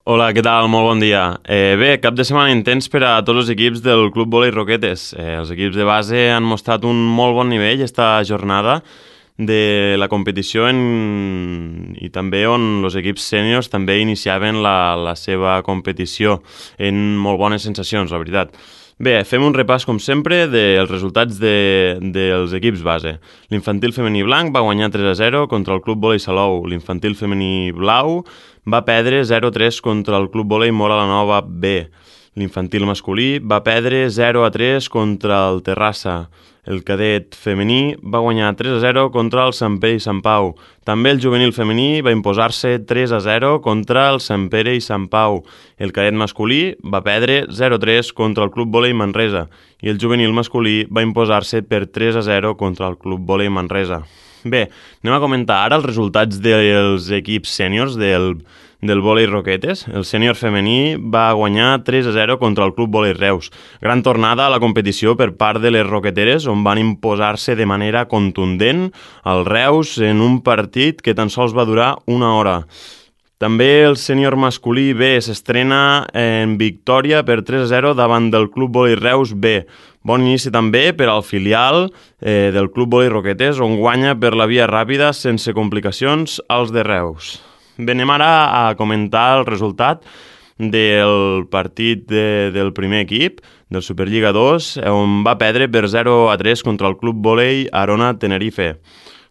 Hola, què tal? Molt bon dia. Bé, cap de setmana intens per a tots els equips del Club Vòlei Roquetes. Els equips de base han mostrat un molt bon nivell esta jornada de la competició i també on els equips sèniors també iniciaven la seva competició en molt bones sensacions, la veritat. Bé, fem un repàs, com sempre, dels resultats dels equips base. L'infantil femení blanc va guanyar 3-0 contra el Club Vòlei Salou. L'infantil femení blau va perdre 0-3 contra el Club Vòlei Móra la Nova B. L'infantil masculí va perdre 0-3 contra el Terrassa. El cadet femení va guanyar 3-0 contra el Sant Pere i Sant Pau. També el juvenil femení va imposar-se 3-0 contra el Sant Pere i Sant Pau. El cadet masculí va perdre 0-3 contra el Club Vòlei Manresa i el juvenil masculí va imposar-se per 3-0 contra el Club Vòlei Manresa. Bé, anem a comentar ara els resultats dels equips sèniors del vòlei Roquetes. El sènior femení va guanyar 3-0 contra el Club Vòlei Reus. Gran tornada a la competició per part de les roqueteres, on van imposar-se de manera contundent al Reus en un partit que tan sols va durar una hora. També el sènior masculí B s'estrena en victòria per 3-0 davant del Club Vòlei Reus B. Bon inici també per al filial del Club Vòlei Roquetes, on guanya per la via ràpida sense complicacions als de Reus. Bé, anem ara a comentar el resultat del partit del primer equip, del Superliga 2, on va perdre per 0-3 contra el Club Vòlei Arona Tenerife.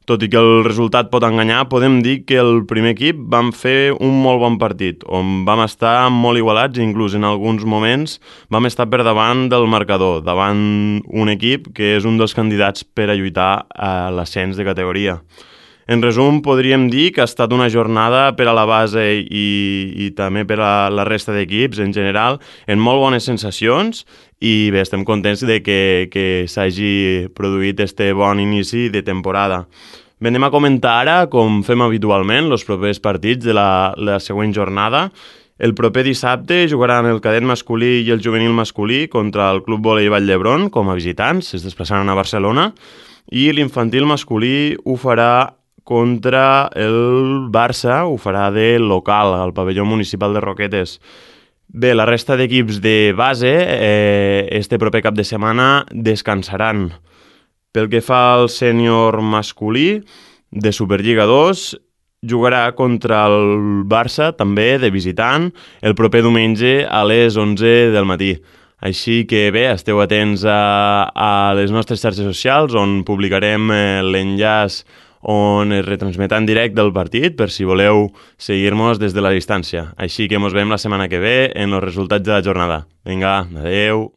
Tot i que el resultat pot enganyar, podem dir que el primer equip vam fer un molt bon partit, on vam estar molt igualats i inclús en alguns moments vam estar per davant del marcador, davant un equip que és un dels candidats per a lluitar a l'ascens de categoria. En resum, podríem dir que ha estat una jornada per a la base i també per a la resta d'equips en general, en molt bones sensacions, i bé, estem contents de que s'hagi produït este bon inici de temporada. Bé, anem a comentar ara, com fem habitualment, els propers partits de la següent jornada. El proper dissabte jugaran el cadet masculí i el juvenil masculí contra el Club Vòlei Vall d'Hebron com a visitants, es desplaçaran a Barcelona, i l'infantil masculí ho farà contra el Barça, ho farà de local, al pavelló municipal de Roquetes. Bé, la resta d'equips de base este proper cap de setmana descansaran. Pel que fa al sènior masculí de Superliga 2, jugarà contra el Barça, també de visitant, el proper diumenge a les 11 del matí. Així que bé, esteu atents a les nostres xarxes socials, on publicarem l'enllaç on es retransmetrà en directe el partit per si voleu seguir-nos des de la distància. Així que ens veiem la setmana que ve en els resultats de la jornada. Vinga, adeu!